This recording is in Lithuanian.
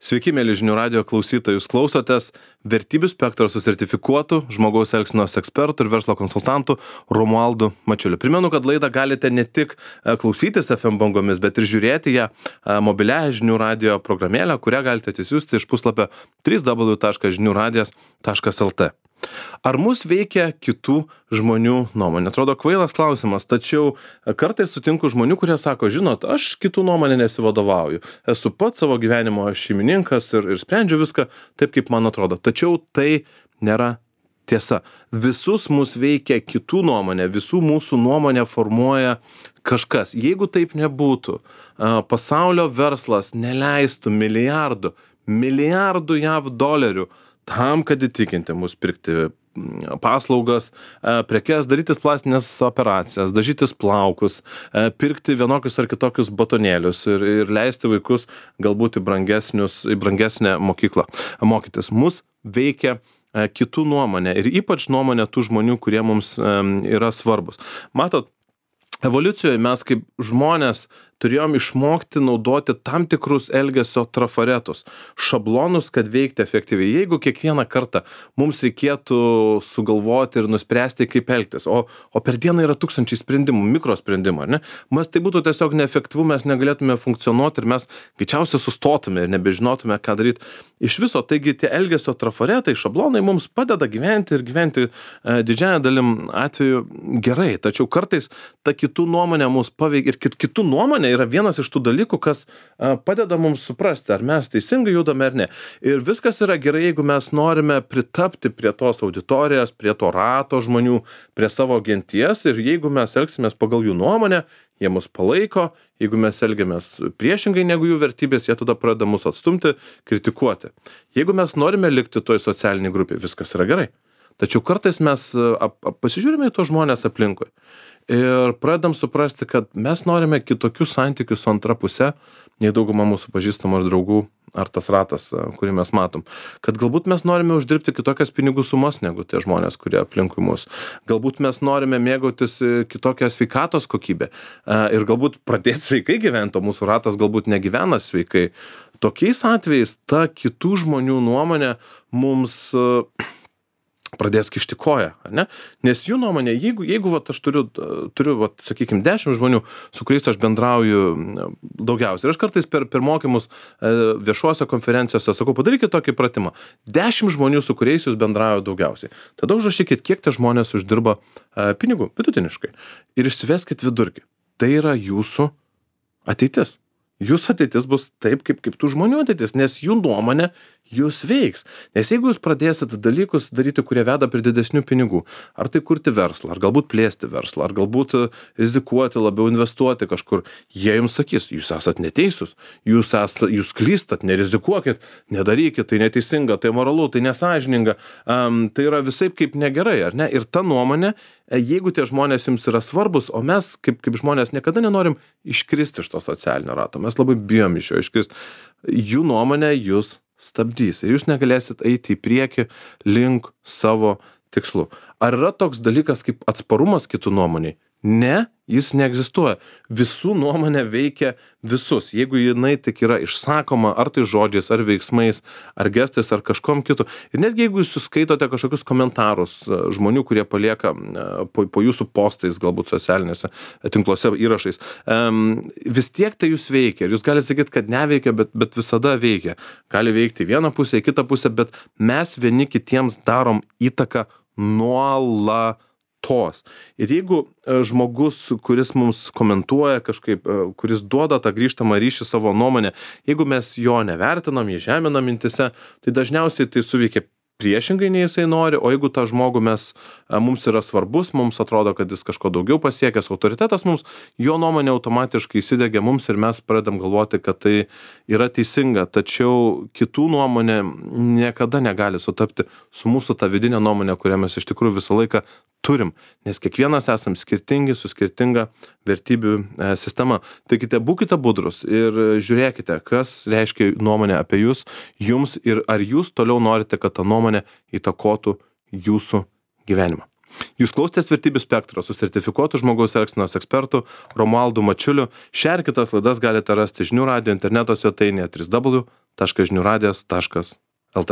Sveiki, mėly žinių radijo klausytojai, jūs klausotės Vertybių spektro su sertifikuotu žmogaus elgsenos ekspertu ir verslo konsultantu Romualdu Mačiuliu. Primenu, kad laidą galite ne tik klausytis FM bangomis, bet ir žiūrėti ją mobiliąją žinių radijo programėlę, kurią galite atsisiųsti iš puslapio www.žiniuradijas.lt. Ar mus veikia kitų žmonių nuomonė? Atrodo kvailas klausimas, tačiau kartais sutinku žmonių, kurie sako, žinot, aš kitų nuomonė nesivadovauju. Esu pats savo gyvenimo šeimininkas ir sprendžiu viską taip, kaip man atrodo. Tačiau tai nėra tiesa. Visus mus veikia kitų nuomonė, visų mūsų nuomonė formuoja kažkas. Jeigu taip nebūtų, pasaulio verslas neleistų milijardų JAV dolerių tam, kad įtikinti mus pirkti paslaugas, prekes, darytis plastinės operacijas, dažytis plaukus, pirkti vienokius ar kitokius batonėlius ir leisti vaikus galbūt į brangesnę mokyklą mokytis. Mus veikia kitų nuomonė ir ypač nuomonė tų žmonių, kurie mums yra svarbus. Matot, evoliucijoje mes kaip žmonės turėjom išmokti naudoti tam tikrus elgesio trafaretus, šablonus, kad veikti efektyviai. Jeigu kiekvieną kartą mums reikėtų sugalvoti ir nuspręsti, kaip elgtis, o per dieną yra tūkstančiai sprendimų, mikrosprendimų, ar ne? Mes tai būtų tiesiog neefektyvu, mes negalėtume funkcionuoti ir mes greičiausiai sustotume ir nebežinotume, ką daryti iš viso. Taigi tie elgesio trafaretai, šablonai mums padeda gyventi ir gyventi didžiąją dalim atveju gerai. Tačiau kartais ta kitų nuomonė mus paveikia ir kitų nuomonė yra vienas iš tų dalykų, kas padeda mums suprasti, ar mes teisingai judame ar ne. Ir viskas yra gerai, jeigu mes norime pritapti prie tos auditorijos, prie to rato žmonių, prie savo genties ir jeigu mes elgsimės pagal jų nuomonę, jie mus palaiko, jeigu mes elgiamės priešingai negu jų vertybės, jie tada pradeda mus atstumti, kritikuoti. Jeigu mes norime likti toj socialiniai grupiai, viskas yra gerai. Tačiau kartais mes pasižiūrime į tos žmonės aplinkui ir pradedam suprasti, kad mes norime kitokių santykių su antra puse, nei dauguma mūsų pažįstamų ar draugų, ar tas ratas, kurį mes matom. Kad galbūt mes norime uždirbti kitokias pinigų sumas negu tie žmonės, kurie aplinkui mus. Galbūt mes norime mėgautis kitokią sveikatos kokybę ir galbūt pradėti sveikai gyventi, o mūsų ratas galbūt negyvena sveikai. Tokiais atvejais ta kitų žmonių nuomonė mums pradės kišti koją, ar ne? Nes jų nuomonė, jeigu vat, aš turiu vat, sakykime, 10 žmonių, su kuriais aš bendrauju daugiausiai. Ir aš kartais per mokymus viešuose konferencijose sakau, padarykit tokį pratimą. 10 žmonių, su kuriais jūs bendrauju daugiausiai. Tada užrašykit, kiek tie žmonės uždirba pinigų vidutiniškai. Ir išsiveskit vidurkį. Tai yra jūsų ateitis. Jūsų ateitis bus taip, kaip tų žmonių ateitis, nes jų nuomonė jūs veiks. Nes jeigu jūs pradėsite dalykus daryti, kurie veda prie didesnių pinigų, ar tai kurti verslą, ar galbūt plėsti verslą, ar galbūt rizikuoti, labiau investuoti kažkur, jie jums sakys, jūs esat neteisūs, jūs klystat, nerizikuokit, nedarykit, tai neteisinga, tai moralu, tai nesąžininga, tai yra visaip kaip negerai, ar ne? Ir ta nuomonė, jeigu tie žmonės jums yra svarbus, o mes kaip žmonės niekada nenorim iškristi iš to socialinio rato, mes labai bijom iš jo iškristi, jų nuomonė jūs stabdys ir jūs negalėsit eiti į priekį link savo tikslų. Ar yra toks dalykas kaip atsparumas kitų nuomoniai? Ne, jis neegzistuoja. Visų nuomonė veikia visus. Jeigu jinai tik yra išsakoma, ar tai žodžiais, ar veiksmais, ar gestais, ar kažkom kitu. Ir netgi jeigu jūs skaitote kažkokius komentarus žmonių, kurie palieka po jūsų postais, galbūt socialinėse tinkluose įrašais, vis tiek tai jūs veikia. Ir jūs galite sakyti, kad neveikia, bet visada veikia. Gali veikti vieną pusę, kitą pusę, bet mes vieni kitiems darom įtaką nuolatos. Ir jeigu žmogus, kuris mums komentuoja kažkaip, kuris duoda tą grįžtamą ryšį savo nuomonę, jeigu mes jo nevertinam, jį žeminam mintise, tai dažniausiai tai suveikia priešingai nei jisai nori, o jeigu tą žmogų mums yra svarbus, mums atrodo, kad jis kažko daugiau pasiekęs, autoritetas mums, jo nuomonė automatiškai įsidegia mums ir mes pradedam galvoti, kad tai yra teisinga, tačiau kitų nuomonė niekada negali sutapti su mūsų ta vidinė nuomonė, kurią mes iš tikrųjų visą laiką turim, nes kiekvienas esam skirtingi su skirtinga vertybių sistema. Taigi būkite budrus ir žiūrėkite, kas reiškia nuomonė apie jūs, jums ir ar jūs toliau norite, kad ta nuomonė įtakotų jūsų gyvenimą. Jūs klausėtės Vertybių spektro su sertifikuotu žmogaus elgsenos ekspertu Romualdu Mačiuliu. Šią ir kitas laidas galite rasti žinių radijo interneto svetainėje www.žiniųradijas.lt.